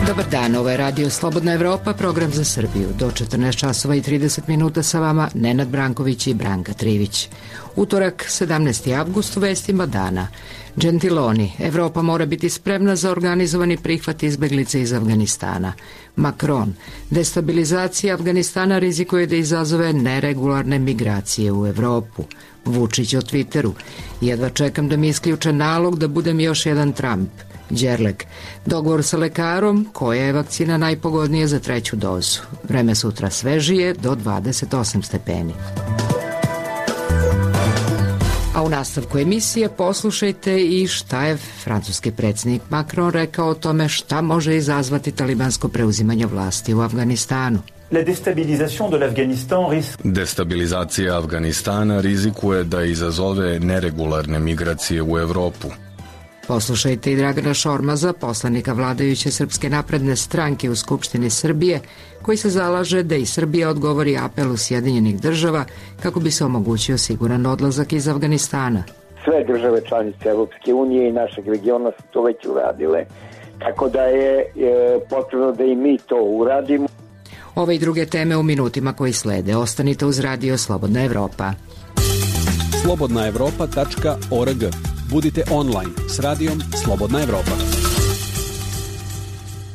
Dobar dan, ovo je Radio Slobodna Evropa, program za Srbiju. Do 14 časova i 30 minuta sa vama Nenad Branković i Branka Trivić. Utorak, 17. avgust, u vestima dana. Gentiloni, Evropa mora biti spremna za organizovani prihvat izbeglice iz Afganistana. Macron, destabilizacija Afganistana rizikuje da izazove neregularne migracije u Evropu. Vučić o Twitteru, jedva čekam da mi isključe nalog da budem još jedan Trump. Đerlek, dogovor sa lekarom, koja je vakcina najpogodnija za treću dozu. Vreme sutra svežije do 28 stepeni. A u nastavku emisije poslušajte i šta je francuski predsjednik Macron rekao o tome šta može izazvati talibansko preuzimanje vlasti u Afganistanu. Destabilizacija Afganistana rizikuje da izazove neregularne migracije u Evropu. Poslušajte i Dragana Šormaza, poslanika vladajuće Srpske napredne stranke u Skupštini Srbije, koji se zalaže da i Srbija odgovori apelu Sjedinjenih država kako bi se omogućio siguran odlazak iz Afganistana. Sve države članice Evropske unije i našeg regiona su to već uradile, tako da je potrebno da i mi to uradimo. Ove i druge teme u minutima koji slede. Ostanite uz Radio Slobodna Evropa. slobodnaevropa.org. Budite online s radijom Slobodna Evropa.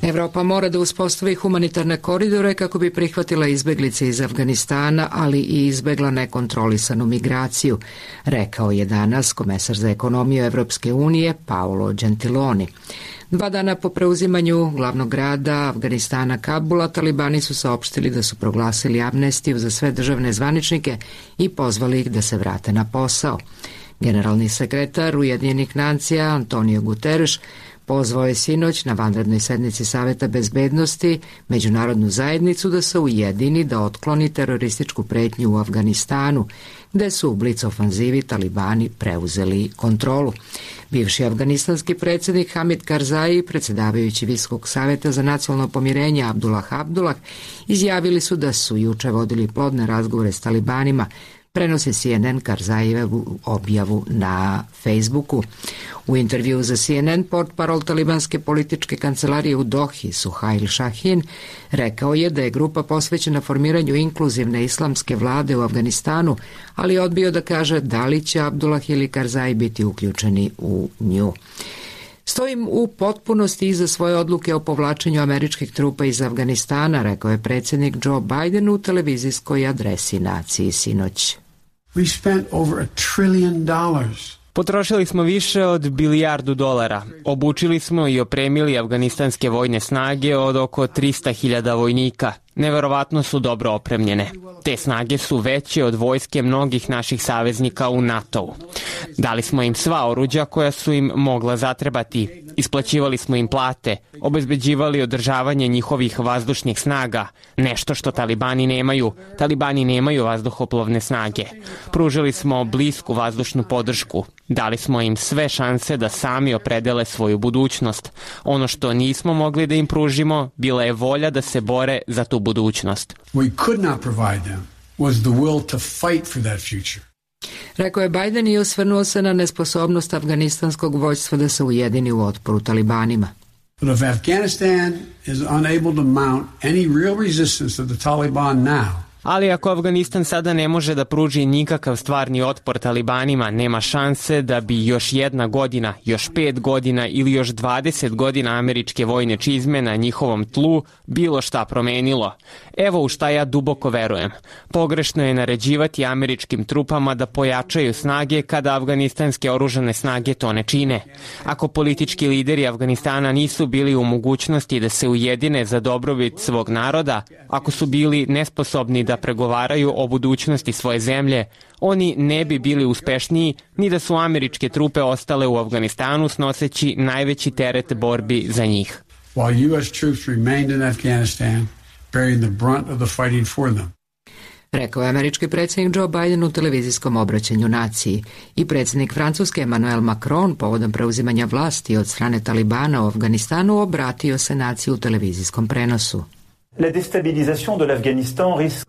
Evropa mora da uspostavi humanitarne koridore kako bi prihvatila izbeglice iz Afganistana, ali i izbegla nekontrolisanu migraciju, rekao je danas komesar za ekonomiju Evropske unije Paolo Gentiloni. 2 dana po preuzimanju glavnog grada Afganistana Kabula, talibani su saopštili da su proglasili amnestiju za sve državne zvaničnike i pozvali ih da se vrate na posao. Generalni sekretar Ujedinjenih nacija Antonio Guterres pozvao je sinoć na vanrednoj sednici Saveta bezbednosti međunarodnu zajednicu da se ujedini da otkloni terorističku pretnju u Afganistanu, gde su u blic ofanzivi talibani preuzeli kontrolu. Bivši afganistanski predsjednik Hamid Karzai, predsjedavajući Visokog saveta za nacionalno pomirenje Abdullah, izjavili su da su juče vodili plodne razgovore s talibanima, prenosi CNN Karzajevu objavu na Facebooku. U intervju za CNN portparol talibanske političke kancelarije u Dohi, Suhail Shahin, rekao je da je grupa posvećena formiranju inkluzivne islamske vlade u Afganistanu, ali je odbio da kaže da li će Abdullah ili Karzai biti uključeni u nju. Stojim u potpunosti iza svoje odluke o povlačenju američkih trupa iz Afganistana, rekao je predsjednik Joe Biden u televizijskoj adresi naciji sinoć. Potrošili smo više od $1 bilijardu. Obučili smo i opremili afganistanske vojne snage od oko 300.000 vojnika. Neverovatno su dobro opremljene. Te snage su veće od vojske mnogih naših saveznika u NATO-u. Dali smo im sva oruđa koja su im mogla zatrebati. Isplaćivali smo im plate, obezbeđivali održavanje njihovih vazdušnih snaga, nešto što talibani nemaju. Talibani nemaju vazduhoplovne snage. Pružili smo blisku vazdušnu podršku. Dali smo im sve šanse da sami opredele svoju budućnost. Ono što nismo mogli da im pružimo bila je volja da se bore za tu budućnost. Rekao je Biden i osvrnuo se na nesposobnost afganistanskog vojstva da se ujedini u otporu talibanima. But if Afghanistan is unable to mount any real resistance to the Taliban now, ali ako Afganistan sada ne može da pruži nikakav stvarni otpor talibanima, nema šanse da bi još 1 godina, još 5 godina ili još 20 godina američke vojne čizme na njihovom tlu bilo šta promenilo. Evo u šta ja duboko verujem. Pogrešno je naređivati američkim trupama da pojačaju snage kada afganistanske oružane snage to ne čine. Ako politički lideri Afganistana nisu bili u mogućnosti da se ujedine za dobrobit svog naroda, ako su bili nesposobni da pregovaraju o budućnosti svoje zemlje, oni ne bi bili uspešniji ni da su američke trupe ostale u Afganistanu snoseći najveći teret borbi za njih. While US troops remained in Afghanistan, bearing the brunt of the fighting for them. Rekao je američki predsjednik Joe Biden u televizijskom obraćanju naciji i predsjednik Francuske Emmanuel Macron povodom preuzimanja vlasti od strane talibana u Afganistanu obratio se naciji u televizijskom prenosu.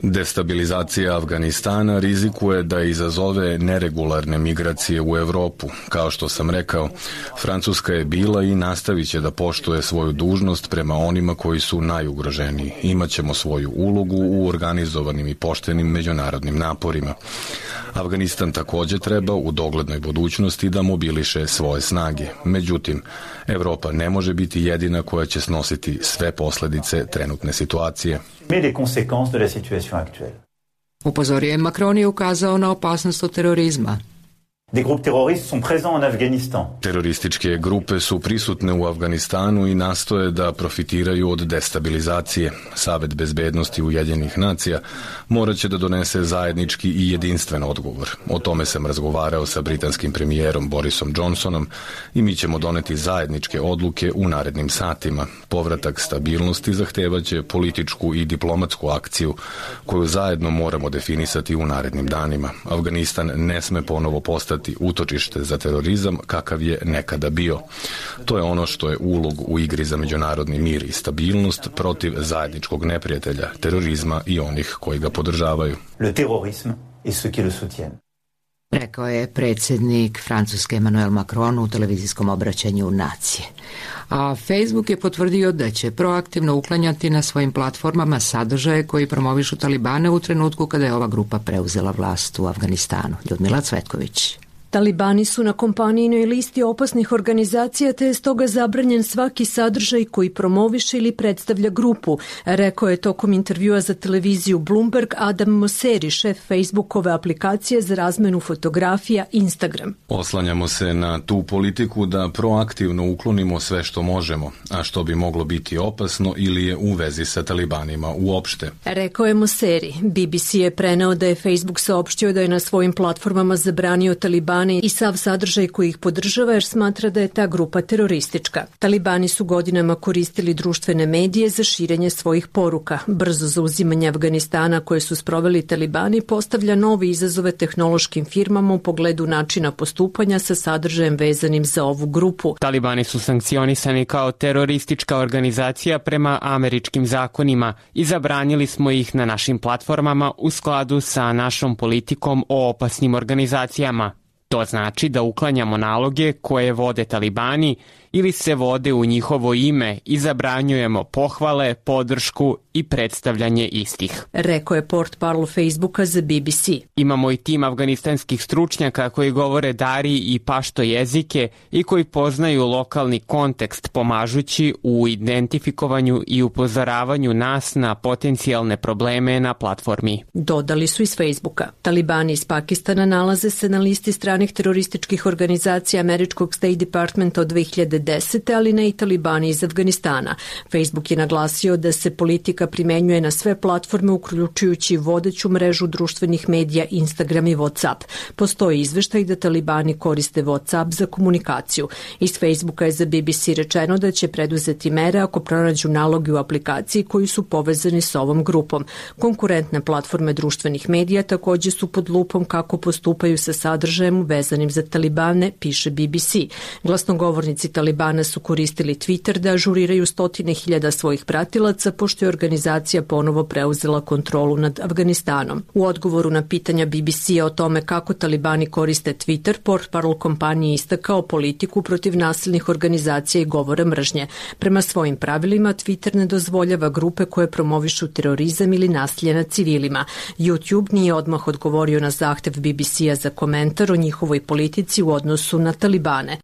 Destabilizacija Afganistana rizikuje da izazove neregularne migracije u Evropu. Kao što sam rekao, Francuska je bila i nastavit će da poštuje svoju dužnost prema onima koji su najugroženiji. Imaćemo svoju ulogu u organizovanim i poštenim međunarodnim naporima. Afganistan takođe treba u doglednoj budućnosti da mobiliše svoje snage. Međutim, Evropa ne može biti jedina koja će snositi sve posledice trenutne situacije. Upozorio je Macron i ukazao na opasnost od terorizma. Terorističke grupe su prisutne u Afganistanu i nastoje da profitiraju od destabilizacije. Savet bezbednosti Ujedinjenih nacija morat će da donese zajednički i jedinstven odgovor. O tome sam razgovarao sa britanskim premijerom Borisom Johnsonom i mi ćemo doneti zajedničke odluke u narednim satima. Povratak stabilnosti zahtevaće političku i diplomatsku akciju koju zajedno moramo definisati u narednim danima. Afganistan ne sme ponovo postati utočište za terorizam kakav je nekada bio. To je ono što je ulog u igri za međunarodni mir i stabilnost protiv zajedničkog neprijatelja, terorizma i onih koji ga podržavaju. Le terrorisme et ceux qui le soutiennent. Rekao je predsjednik Francuske Emmanuel Macron u televizijskom obraćanju nacije. A Facebook je potvrdio da će proaktivno uklanjati na svojim platformama sadržaje koji promovišu Talibane u trenutku kada je ova grupa preuzela vlast u Afganistanu. Ljudmila Cvetković. Talibani su na kompanijinoj listi opasnih organizacija, te je stoga zabranjen svaki sadržaj koji promoviše ili predstavlja grupu, rekao je tokom intervjua za televiziju Bloomberg Adam Mosseri, šef Facebookove aplikacije za razmenu fotografija Instagram. Oslanjamo se na tu politiku da proaktivno uklonimo sve što možemo, a što bi moglo biti opasno ili je u vezi sa Talibanima uopšte. Rekao je Mosseri. BBC je preneo da je Facebook saopštio da je na svojim platformama zabranio Talibane i sav sadržaj koji ih podržava jer smatra da je ta grupa teroristička. Talibani su godinama koristili društvene medije za širenje svojih poruka. Brzo zauzimanje Afganistana koje su sproveli Talibani postavlja nove izazove tehnološkim firmama u pogledu načina postupanja sa sadržajem vezanim za ovu grupu. Talibani su sankcionisani kao teroristička organizacija prema američkim zakonima i zabranili smo ih na našim platformama u skladu sa našom politikom o opasnim organizacijama. To znači da uklanjamo naloge koje vode Talibani ili se vode u njihovo ime i zabranjujemo pohvale, podršku i predstavljanje istih. Rekao je portparol Facebooka za BBC. Imamo i tim afganistanskih stručnjaka koji govore dari i pašto jezike i koji poznaju lokalni kontekst pomažući u identifikovanju i upozoravanju nas na potencijalne probleme na platformi. Dodali su iz Facebooka. Talibani iz Pakistana nalaze se na listi stranih terorističkih organizacija američkog State Departmenta od 2010. ali ne i Talibani iz Afganistana. Facebook je naglasio da se politika primenjuje na sve platforme uključujući vodeću mrežu društvenih medija Instagram i WhatsApp. Postoji izveštaj da Talibani koriste WhatsApp za komunikaciju. Iz Facebooka je za BBC rečeno da će preduzeti mere ako pronađu naloge u aplikaciji koji su povezani s ovom grupom. Konkurentne platforme društvenih medija takođe su pod lupom kako postupaju sa sadržajem vezanim za Talibane, piše BBC. Glasnogovornici Talibana su koristili Twitter da ažuriraju stotine hiljada svojih pratilaca pošto je organizacija ponovo preuzela kontrolu nad Afganistanom. U odgovoru na pitanja BBC-a o tome kako Talibani koriste Twitter, portparol kompanije istakao politiku protiv nasilnih organizacija i govora mržnje. Prema svojim pravilima, Twitter ne dozvoljava grupe koje promovišu terorizam ili nasilje nad civilima. YouTube nije odmah odgovorio na zahtev BBC-a za komentar o njihovoj politici u odnosu na Talibane.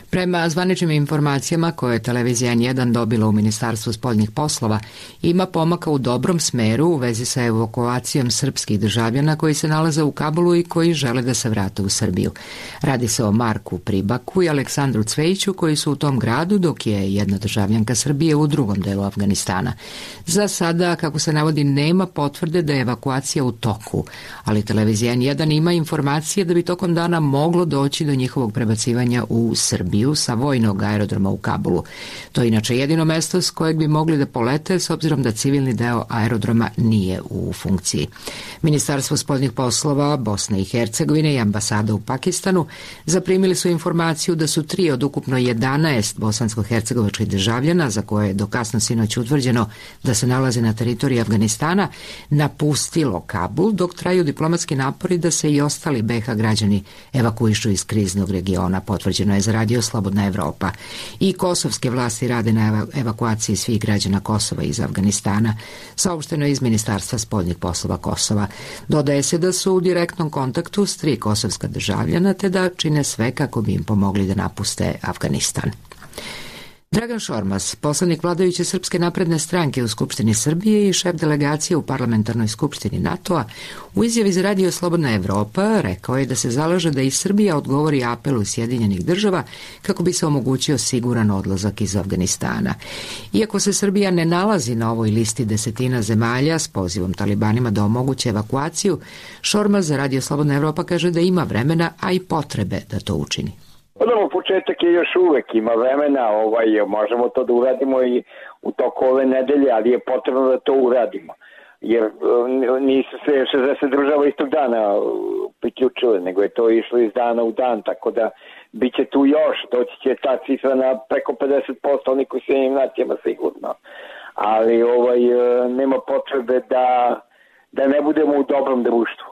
Prema zvaničnim informacijama koje je televizija N1 dobila u Ministarstvu spoljnih poslova, ima pomaka u dobrom smeru u vezi sa evakuacijom srpskih državljana koji se nalaze u Kabulu i koji žele da se vrate u Srbiju. Radi se o Marku Pribaku i Aleksandru Cvejiću koji su u tom gradu, dok je jedna državljanka Srbije u drugom delu Afganistana. Za sada, kako se navodi, nema potvrde da je evakuacija u toku, ali televizija N1 ima informacije da bi tokom dana moglo doći do njihovog prebacivanja u Srbiju avioniju sa vojnog aerodroma u Kabulu. To je inače jedino mesto s kojeg bi mogli da polete s obzirom da civilni deo aerodroma nije u funkciji. Ministarstvo spoljnih poslova Bosne i Hercegovine i ambasada u Pakistanu zaprimili su informaciju da su 3 od ukupno 11 bosansko-hercegovačkih državljana, za koje je do kasno sinoć utvrđeno da se nalaze na teritoriji Afganistana, napustilo Kabul, dok traju diplomatski napori da se i ostali BiH građani evakuišu iz kriznog regiona, potvrđeno je za Radio Slobodna Evropa. I kosovske vlasti rade na evakuaciji svih građana Kosova iz Afganistana, saopšteno je iz Ministarstva spoljnih poslova Kosova. Dodaje se da su u direktnom kontaktu s 3 kosovska državljana, te da čine sve kako bi im pomogli da napuste Afganistan. Dragan Šormaz, poslanik vladajuće Srpske napredne stranke u Skupštini Srbije i šef delegacije u Parlamentarnoj skupštini NATO-a, u izjavi za Radio Slobodna Evropa rekao je da se zalaže da i Srbija odgovori apelu Sjedinjenih država kako bi se omogućio siguran odlazak iz Afganistana. Iako se Srbija ne nalazi na ovoj listi desetina zemalja s pozivom talibanima da omoguće evakuaciju, Šormaz za Radio Slobodna Evropa kaže da ima vremena, a i potrebe da to učini. Početak je još uvek, ima vremena, možemo to da uradimo i u toku ove nedelje, ali je potrebno da to uradimo. Jer nisu se 60 država istog dana priključile, nego je to išlo iz dana u dan, tako da bit će tu još, doći će ta cifra na preko 50%, oni koji se njim nacijama sigurno. Ali nema potrebe da ne budemo u dobrom društvu.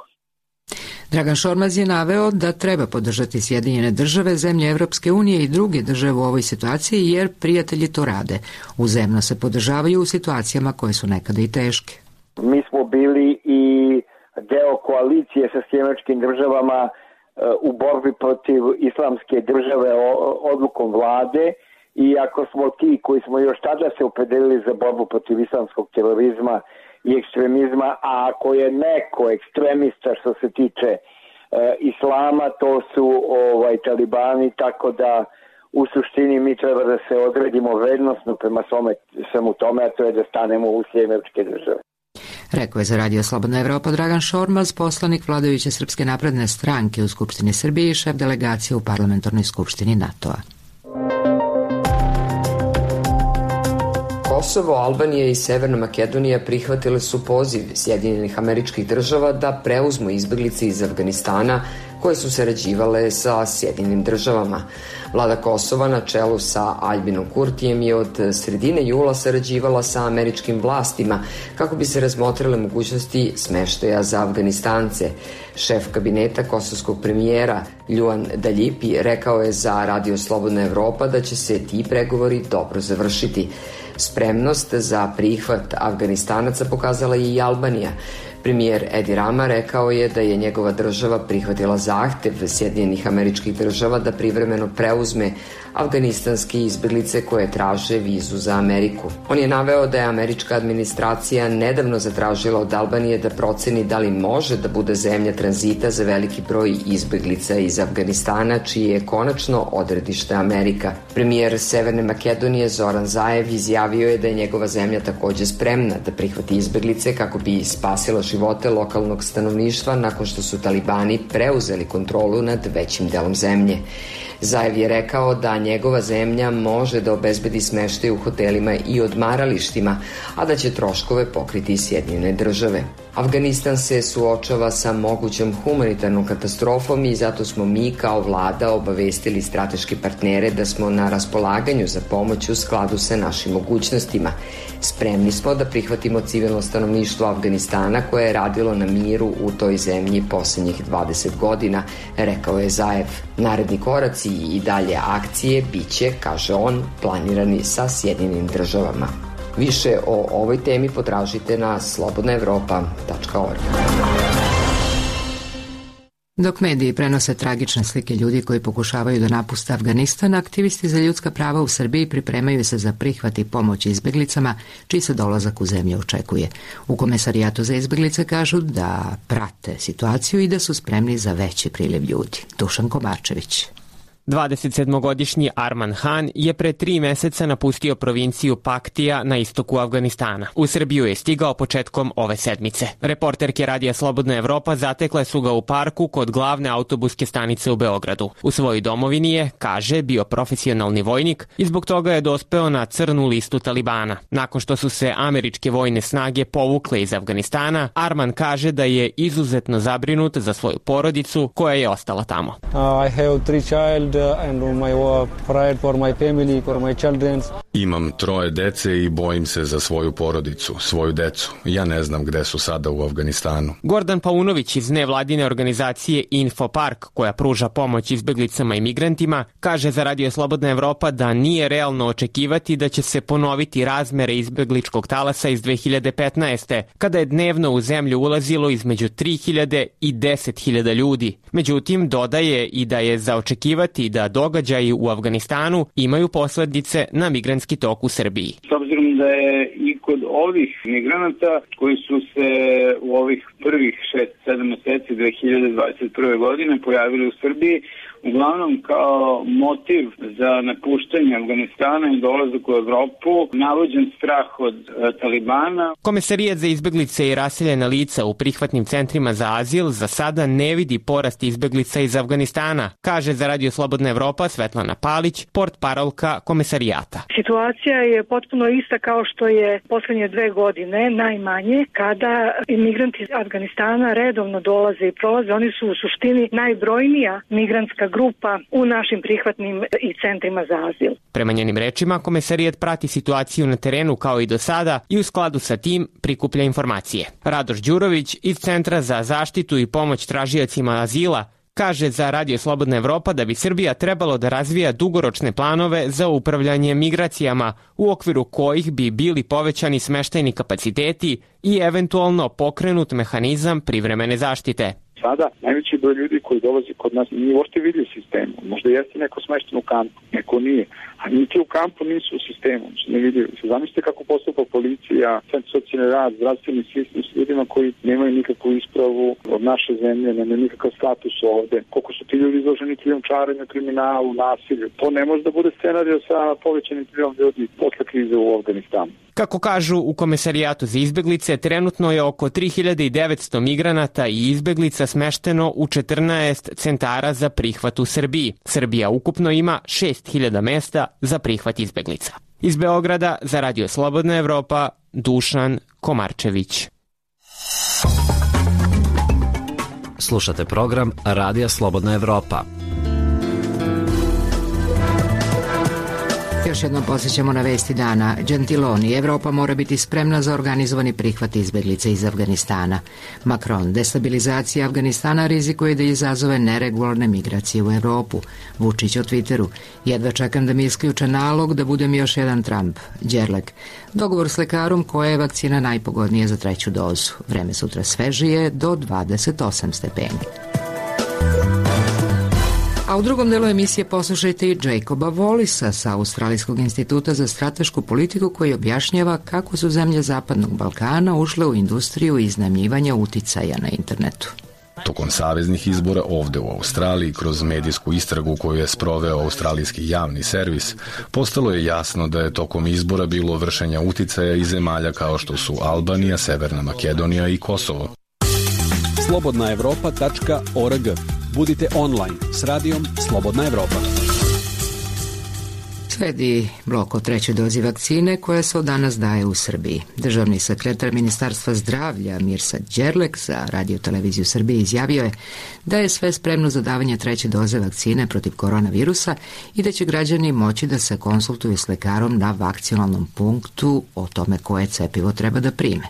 Dragan Šormaz je naveo da treba podržati Sjedinjene države, zemlje Evropske unije i druge države u ovoj situaciji, jer prijatelji to rade. Uzemno se podržavaju u situacijama koje su nekada i teške. Mi smo bili i deo koalicije sa Sjedinjenim državama u borbi protiv islamske države odlukom vlade, i ako smo ti koji smo još tada se opredelili za borbu protiv islamskog terorizma i ekstremizma, a ako je neko ekstremista što se tiče islama, to su talibani, tako da u suštini mi treba da se odredimo vrednostno prema svemu tome, a to je da stanemo u Sjedinjene države. Rekao je za Radio Slobodna Evropa Dragan Šormaz, poslanik vladajuće Srpske napredne stranke u Skupštini Srbije i šef delegacije u Parlamentarnoj skupštini NATO-a. Kosovo, Albanija i Severna Makedonija prihvatile su poziv Sjedinjenih Američkih Država da preuzmu izbeglice iz Afganistana koje su sarađivale sa Sjedinjenim Državama. Vlada Kosova na čelu sa Aljbinom Kurtijem je od sredine jula sarađivala sa američkim vlastima kako bi se razmotrile mogućnosti smeštaja za Afganistance. Šef kabineta kosovskog premijera Ljuan Daljipi rekao je za Radio Slobodna Evropa da će se ti pregovori dobro završiti. Spremnost za prihvat Afganistanaca pokazala je i Albanija. Premijer Edi Rama rekao je da je njegova država prihvatila zahtev Sjedinjenih Američkih Država da privremeno preuzme afganistanske izbeglice koje traže vizu za Ameriku. On je naveo da je američka administracija nedavno zatražila od Albanije da proceni da li može da bude zemlja tranzita za veliki broj izbeglica iz Afganistana, čije je konačno odredište Amerika. Premijer Severne Makedonije Zoran Zaev izjavio je da je njegova zemlja takođe spremna da prihvati izbeglice kako bi spasila živote lokalnog stanovništva nakon što su talibani preuzeli kontrolu nad većim delom zemlje. Zaev je rekao da njegova zemlja može da obezbedi smeštaj u hotelima i odmaralištima, a da će troškove pokriti Sjedinjene države. Afganistan se suočava sa mogućom humanitarnom katastrofom i zato smo mi kao vlada obavestili strateške partnere da smo na raspolaganju za pomoć u skladu sa našim mogućnostima. Spremni smo da prihvatimo civilno stanovništvo Afganistana koje je radilo na miru u toj zemlji poslednjih 20 godina, rekao je Zaev. Naredni koraci i dalje akcije biće, kaže on, planirani sa Sjedinjenim državama. Više o ovoj temi potražite na slobodnaevropa.org. Dok mediji prenose tragične slike ljudi koji pokušavaju da napuste Afganistan, aktivisti za ljudska prava u Srbiji pripremaju se za prihvat i pomoć izbeglicama, čiji se dolazak u zemlju očekuje. U Komesarijatu za izbeglice kažu da prate situaciju i da su spremni za veći priliv ljudi. Dušan Kovačević. 27-godišnji Arman Han je pre 3 meseca napustio provinciju Paktija na istoku Afganistana. U Srbiju je stigao početkom ove sedmice. Reporterke Radija Slobodna Evropa zatekle su ga u parku kod glavne autobuske stanice u Beogradu. U svojoj domovini je, kaže, bio profesionalni vojnik i zbog toga je dospeo na crnu listu Talibana. Nakon što su se američke vojne snage povukle iz Afganistana, Arman kaže da je izuzetno zabrinut za svoju porodicu koja je ostala tamo. I have 3 child and my pride for my family, for my children. Imam 3 dece i bojim se za svoju porodicu, svoju decu. Ja ne znam gde su sada u Afganistanu. Gordon Paunović iz nevladine organizacije Infopark, koja pruža pomoć izbeglicama i migrantima, kaže za Radio Slobodna Evropa da nije realno očekivati da će se ponoviti razmere izbegličkog talasa iz 2015. kada je dnevno u zemlju ulazilo između 3.000 i 10.000 ljudi. Međutim, dodaje i da je za očekivati da događaji u Afganistanu imaju posledice na migrantski tok u Srbiji. S obzirom da je i kod ovih migranata koji su se u ovih prvih 6-7 meseci 2021. godine pojavili u Srbiji, uglavnom kao motiv za napuštanje Afganistana i dolazak u Evropu, navođen strah od Talibana. Komesarijat za izbeglice i raseljena lica u prihvatnim centrima za azil za sada ne vidi porast izbeglica iz Afganistana, kaže za Radio Slobodna Evropa Svetlana Palić, portparolka komesarijata. Situacija je potpuno ista kao što je poslednje 2 godine najmanje, kada imigranti iz Afganistana redovno dolaze i prolaze. Oni su u suštini najbrojnija migrantska grupa u našim prihvatnim i centrima za azil. Prema njenim rečima, komesarijat prati situaciju na terenu kao i do sada i u skladu sa tim prikuplja informacije. Radoš Đurović iz Centra za zaštitu i pomoć tražiocima azila kaže za Radio Slobodna Evropa da bi Srbija trebalo da razvija dugoročne planove za upravljanje migracijama u okviru kojih bi bili povećani smeštajni kapaciteti i eventualno pokrenut mehanizam privremene zaštite. Sada najveći broj ljudi koji dolazi kod nas nije uopšte vidio sistemu. Možda jeste neko smešten u kampu, neko nije. A niti u kampu nisu u sistemu. Ne vidio. Zamislite kako postupa policija, centar socijalni rad, zdravstveni sistem s ljudima koji nemaju nikakvu ispravu od naše zemlje, nemaju nikakav status ovde. Koliko su ti ljudi izloženi krijumčarenju, kriminalu, nasilju. To ne može da bude scenario sa povećanim prilom ljudi posle krize u Afganistanu. Kako kažu u Komesarijatu za izbeglice, trenutno je oko 3900 migranata i izbeglica smešteno u 14 centara za prihvat u Srbiji. Srbija ukupno ima 6000 mesta za prihvat izbeglica. Iz Beograda za Radio Slobodna Evropa, Dušan Komarčević. Slušate program Radija Slobodna Evropa. Još jednom posjećamo na vesti dana. Gentiloni, Evropa mora biti spremna za organizovani prihvat izbeglica iz Afganistana. Macron, destabilizacija Afganistana rizikuje da izazove neregularne migracije u Evropu. Vučić o Twitteru, jedva čekam da mi isključe nalog da budem još jedan Trump. Đerlek, dogovor s lekarom koja je vakcina najpogodnija za 3. dozu. Vreme sutra svežije do 28 stepeni. A u drugom delu emisije poslušajte i Jacoba Wallisa sa Australijskog instituta za stratešku politiku koji objašnjava kako su zemlje Zapadnog Balkana ušle u industriju iznajmljivanja uticaja na internetu. Tokom saveznih izbora ovde u Australiji, kroz medijsku istragu koju je sproveo australijski javni servis, postalo je jasno da je tokom izbora bilo vršenja uticaja iz zemalja kao što su Albanija, Severna Makedonija i Kosovo. slobodnaevropa.org. Budite online s radijom Slobodna Evropa. Sledi blok o 3. dozi vakcine koja se od danas daje u Srbiji. Državni sekretar Ministarstva zdravlja Mirsad Đerlek za Radio televiziju Srbije izjavio je da je sve spremno za davanje 3. doze vakcine protiv koronavirusa i da će građani moći da se konsultuju s lekarom na vakcinalnom punktu o tome koje cepivo treba da prime.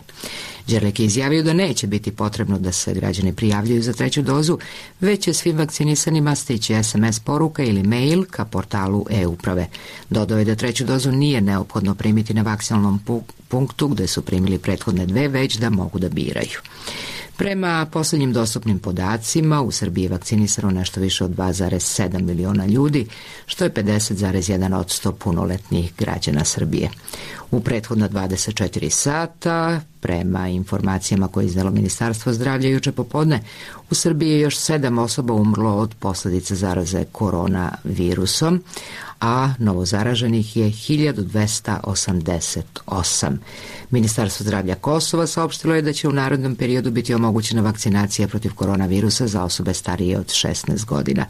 Đerlek je izjavio da neće biti potrebno da se građani prijavljuju za 3. dozu, već će svim vakcinisanima stići SMS poruka ili mail ka portalu e-uprave. Dodao je da 3. dozu nije neophodno primiti na vakcinalnom punktu gde su primili prethodne 2, već da mogu da biraju. Prema poslednjim dostupnim podacima, u Srbiji je vakcinisano nešto više od 2,7 miliona ljudi, što je 50,1% punoletnih građana Srbije. U prethodna 24 sata, prema informacijama koje je izdalo Ministarstvo zdravlja juče popodne, u Srbiji je još 7 osoba umrlo od posledica zaraze koronavirusom, a novozaraženih je 1288. Ministarstvo zdravlja Kosova saopštilo je da će u narednom periodu biti omogućena vakcinacija protiv koronavirusa za osobe starije od 16 godina.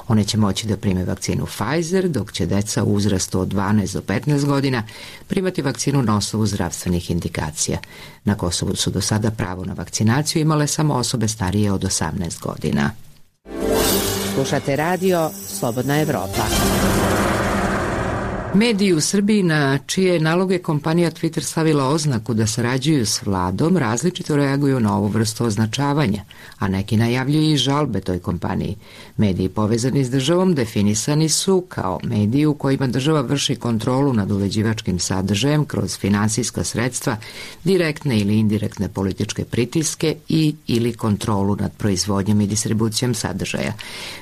One će moći da prime vakcinu Pfizer, dok će deca u uzrastu od 12 do 15 godina primati vakcinu na osnovu zdravstvenih indikacija. Na Kosovu su do sada pravo na vakcinaciju imale samo osobe starije od 18 godina. Slušate radio Slobodna Evropa. Mediji u Srbiji, na čije naloge kompanija Twitter stavila oznaku da sarađuju s vladom, različito reaguju na ovu vrstu označavanja, a neki najavljuju i žalbe toj kompaniji. Mediji povezani s državom definisani su kao mediji u kojima država vrši kontrolu nad uređivačkim sadržajem kroz finansijska sredstva, direktne ili indirektne političke pritiske i ili kontrolu nad proizvodnjom i distribucijom sadržaja.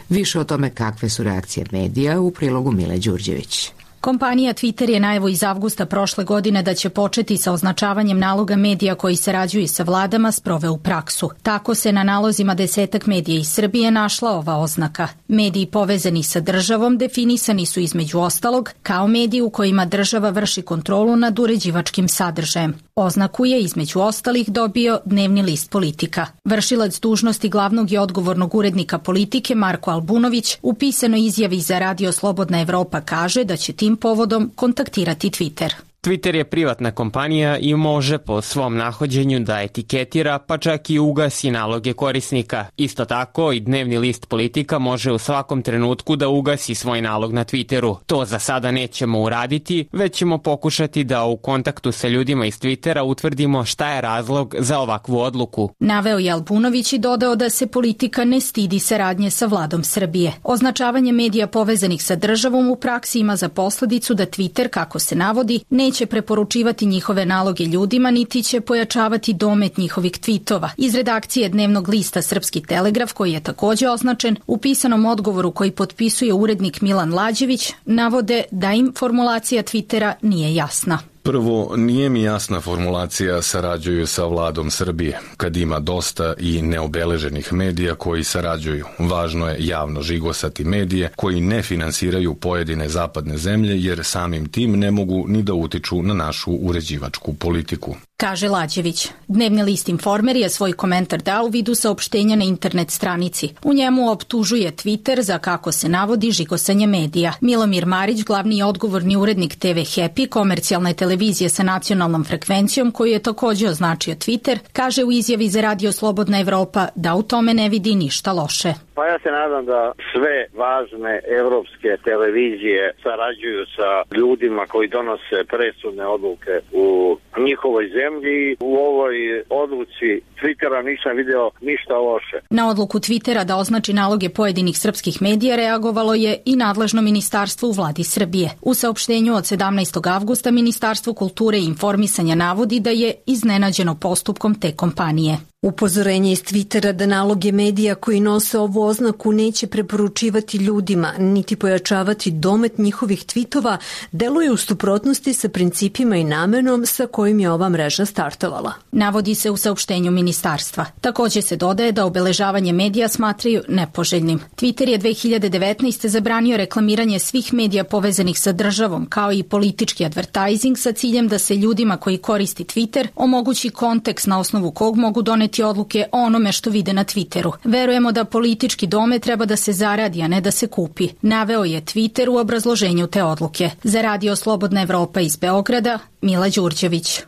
Više o tome kakve su reakcije medija u prilogu Mile Đurđević. Kompanija Twitter je najavu iz avgusta prošle godine da će početi sa označavanjem naloga medija koji sarađuju sa vladama sproveo u praksu. Tako se na nalozima 10 medija iz Srbije našla ova oznaka. Mediji povezani sa državom definisani su između ostalog kao mediji u kojima država vrši kontrolu nad uređivačkim sadržajem. Oznaku je između ostalih dobio dnevni list Politika. Vršilac dužnosti glavnog i odgovornog urednika Politike Marko Albunović u pisanoj izjavi za Radio Slobodna Evropa kaže da će tim povodom kontaktirati Twitter. Twitter je privatna kompanija i može po svom nahođenju da etiketira pa čak i ugasi naloge korisnika. Isto tako i dnevni list Politika može u svakom trenutku da ugasi svoj nalog na Twitteru. To za sada nećemo uraditi, već ćemo pokušati da u kontaktu sa ljudima iz Twittera utvrdimo šta je razlog za ovakvu odluku. Naveo je Albunović i dodao da se Politika ne stidi saradnje sa vladom Srbije. Označavanje medija povezanih sa državom u praksi ima za posledicu da Twitter, kako se navodi, neće preporučivati njihove naloge ljudima, niti će pojačavati domet njihovih tvitova. Iz redakcije dnevnog lista Srpski telegraf, koji je takođe označen, u pisanom odgovoru koji potpisuje urednik Milan Lađević, navode da im formulacija Twittera nije jasna. Prvo, nije mi jasna formulacija sarađuju sa vladom Srbije, kad ima dosta i neobeleženih medija koji sarađuju. Važno je javno žigosati medije koji ne finansiraju pojedine zapadne zemlje jer samim tim ne mogu ni da utiču na našu uređivačku politiku. Kaže Lađević. Dnevni list Informer je svoj komentar dao u vidu saopštenja na internet stranici. U njemu optužuje Twitter za, kako se navodi, žigosanje medija. Milomir Marić, glavni i odgovorni urednik TV Happy, komercijalne televizije sa nacionalnom frekvencijom, koju je takođe označio Twitter, kaže u izjavi za Radio Slobodna Evropa da u tome ne vidi ništa loše. Pa ja se nadam da sve važne evropske televizije sarađuju sa ljudima koji donose presudne odluke u njihovoj zemlji. U ovoj odluci Twittera nisam video ništa loše. Na odluku Twittera da označi naloge pojedinih srpskih medija reagovalo je i nadležno ministarstvo u vladi Srbije. U saopštenju od 17. avgusta Ministarstvo kulture i informisanja navodi da je iznenađeno postupkom te kompanije. Upozorenje iz Twittera da naloge medija koji nose ovu oznaku neće preporučivati ljudima, niti pojačavati domet njihovih tvitova, deluje u suprotnosti sa principima i namenom sa kojim je ova mreža startovala. Navodi se u saopštenju ministarstva. Takođe se dodaje da obeležavanje medija smatraju nepoželjnim. Twitter je 2019. zabranio reklamiranje svih medija povezanih sa državom, kao i politički advertising sa ciljem da se ljudima koji koristi Twitter omogući kontekst na osnovu kog mogu doneti odluke o onome što vide na Twitteru. Verujemo da politički domet treba da se zaradi, a ne da se kupi. Naveo je Twitter u obrazloženju te odluke. Za Radio Slobodna Evropa iz Beograda, Mila Đurđević.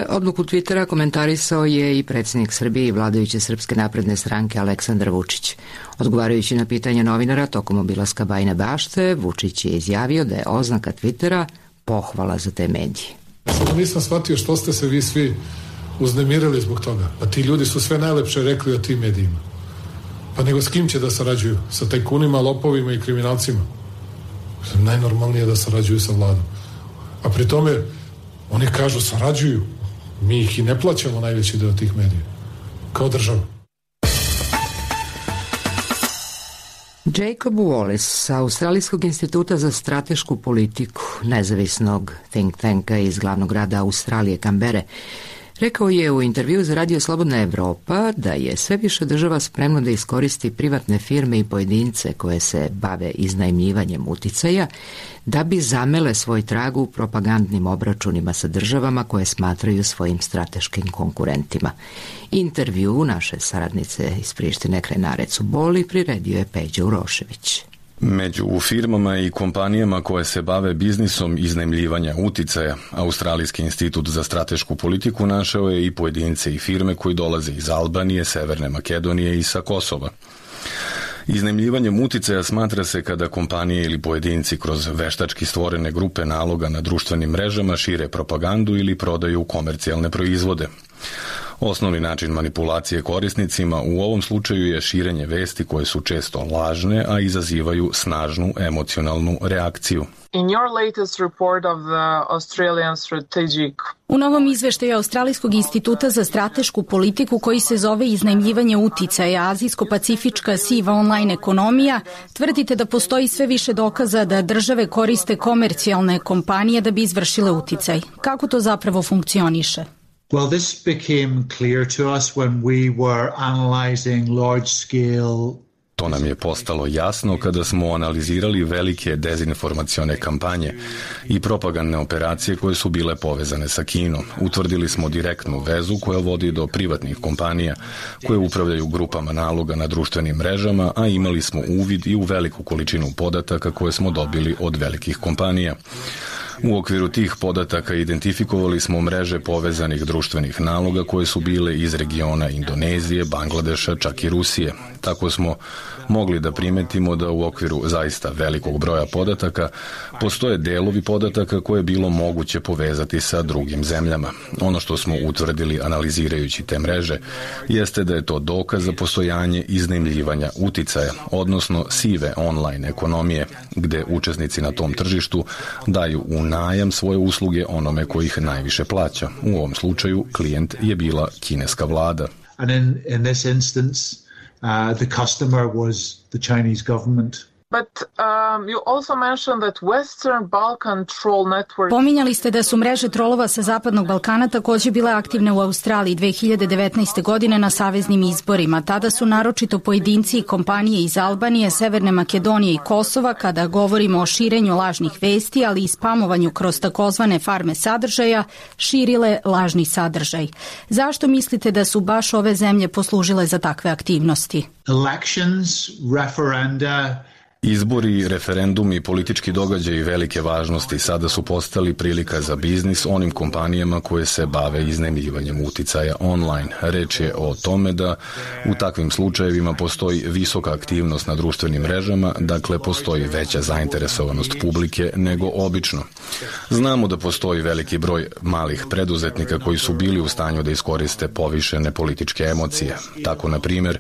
Odluku Twittera komentarisao je i predsjednik Srbije i vladajuće Srpske napredne stranke Aleksandar Vučić. Odgovarajući na pitanje novinara tokom obilaska Bajine Bašte, Vučić je izjavio da je oznaka Twittera pohvala za te medije. Samo nisam shvatio što ste se vi svi uznemirili zbog toga. Pa ti ljudi su sve najlepše rekli o tim medijima. Pa nego s kim će da sarađuju? Sa tajkunima, lopovima i kriminalcima? Najnormalnije je da sarađuju sa vladom. A pri tome oni kažu sarađuju. Mi ih i ne plaćamo najveći deo tih medija, kao država. Jacob Wallace sa Australijskog instituta za stratešku politiku, nezavisnog think tanka iz glavnog grada Australije, Kambere, rekao je u intervju za Radio Slobodna Evropa da je sve više država spremno da iskoristi privatne firme i pojedince koje se bave iznajmljivanjem uticaja da bi zamele svoj trag u propagandnim obračunima sa državama koje smatraju svojim strateškim konkurentima. Intervju naše saradnice iz Prištine Krenarecu Boli priredio je Peđa Urošević. Među firmama i kompanijama koje se bave biznisom iznajmljivanja uticaja, Australijski institut za stratešku politiku našao je i pojedince i firme koji dolaze iz Albanije, Severne Makedonije i sa Kosova. Iznajmljivanjem uticaja smatra se kada kompanije ili pojedinci kroz veštački stvorene grupe naloga na društvenim mrežama šire propagandu ili prodaju komercijalne proizvode. Osnovni način manipulacije korisnicima u ovom slučaju je širenje vesti koje su često lažne, a izazivaju snažnu emocionalnu reakciju. U novom izveštaju Australijskog instituta za stratešku politiku koji se zove iznajmljivanje uticaja, azijsko-pacifička siva online ekonomija, tvrdite da postoji sve više dokaza da države koriste komercijalne kompanije da bi izvršile uticaj. Kako to zapravo funkcioniše? Well, this became clear to us when we were analyzing large-scale. To nam je postalo jasno kada smo analizirali velike dezinformacione kampanje i propagandne operacije koje su bile povezane sa Kinom. Utvrdili smo direktnu vezu koja vodi do privatnih kompanija koje upravljaju grupama naloga na društvenim mrežama, a imali smo uvid i u veliku količinu podataka koje smo dobili od velikih kompanija. U okviru tih podataka identifikovali smo mreže povezanih društvenih naloga koje su bile iz regiona Indonezije, Bangladeša, čak i Rusije. Tako smo mogli da primetimo da u okviru zaista velikog broja podataka postoje delovi podataka koje je bilo moguće povezati sa drugim zemljama. Ono što smo utvrdili analizirajući te mreže jeste da je to dokaz za postojanje iznajmljivanja uticaja, odnosno sive online ekonomije, gde učesnici na tom tržištu daju u najam svoje usluge onome koji ih najviše plaća. U ovom slučaju klijent je bila kineska vlada. And in this instance, the customer was the Chinese government. Pominjali ste da su mreže trolova sa Zapadnog Balkana takođe bile aktivne u Australiji 2019. godine na saveznim izborima. Tada su naročito pojedinci i kompanije iz Albanije, Severne Makedonije i Kosova, kada govorimo o širenju lažnih vesti, ali i spamovanju kroz takozvane farme sadržaja, širile lažni sadržaj. Zašto mislite da su baš ove zemlje poslužile za takve aktivnosti? Elections, referenda. Izbori, referendumi i politički događaji velike važnosti sada su postali prilika za biznis onim kompanijama koje se bave iznajmljivanjem uticaja online. Reč je o tome da u takvim slučajevima postoji visoka aktivnost na društvenim mrežama, dakle postoji veća zainteresovanost publike nego obično. Znamo da postoji veliki broj malih preduzetnika koji su bili u stanju da iskoriste povišene političke emocije. Tako, na primjer,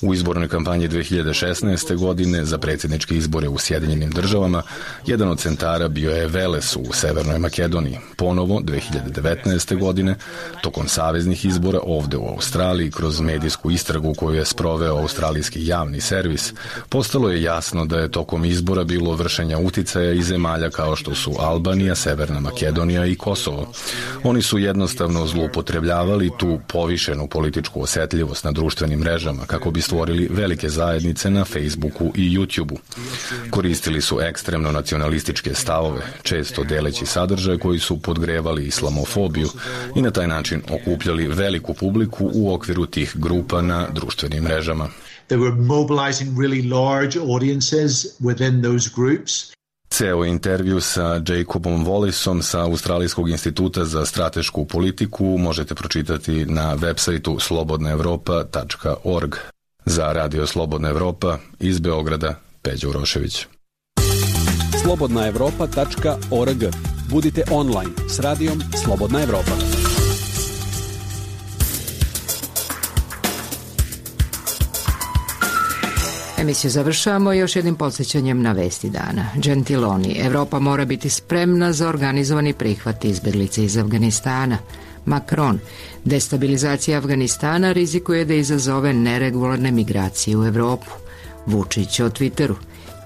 u izbornoj kampanji 2016. godine za predsjedničke izbore u Sjedinjenim državama, jedan od centara bio je Veles u Severnoj Makedoniji. Ponovo, 2019. godine, tokom saveznih izbora ovde u Australiji, kroz medijsku istragu koju je sproveo australijski javni servis, postalo je jasno da je tokom izbora bilo vršenja uticaja iz zemalja kao što su Albanija, Severna Makedonija i Kosovo. Oni su jednostavno zloupotrebljavali tu povišenu političku osetljivost na društvenim mrežama kako bi stvorili velike zajednice na Facebooku i YouTubeu. Koristili su ekstremno nacionalističke stavove, često deleći sadržaje koji su podgrevali islamofobiju i na taj način okupljali veliku publiku u okviru tih grupa na društvenim mrežama. They were mobilizing really large audiences within those groups. Ceo intervju sa Jacobom Wallaceom sa Australijskog instituta za stratešku politiku možete pročitati na websajtu slobodnaevropa.org. Za Radio Slobodna Evropa iz Beograda, Peđa Urošević. slobodnaevropa.org. Budite online s radijom Slobodna Evropa. Emisiju završavamo još jednim podsjećanjem na vesti dana. Gentiloni, Evropa mora biti spremna za organizovani prihvat izbeglice iz Afganistana. Macron. Destabilizacija Afganistana rizikuje da izazove neregularne migracije u Evropu. Vučić o Twitteru.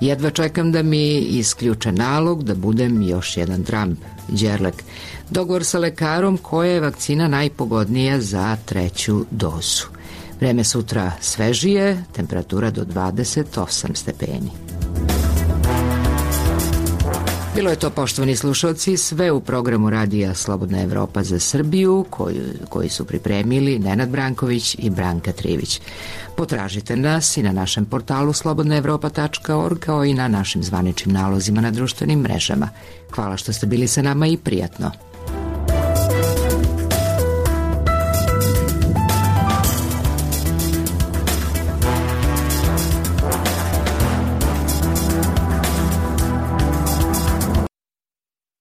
Jedva čekam da mi isključe nalog da budem još jedan Trump. Đerlek. Dogovor sa lekarom koja je vakcina najpogodnija za 3. dozu. Vreme sutra svežije, temperatura do 28 stepeni. Bilo je to, poštovani slušalci, sve u programu Radija Slobodna Evropa za Srbiju, koji su pripremili Nenad Branković i Branka Trivić. Potražite nas i na našem portalu slobodnaevropa.org, kao i na našim zvaničnim nalozima na društvenim mrežama. Hvala što ste bili sa nama i prijatno.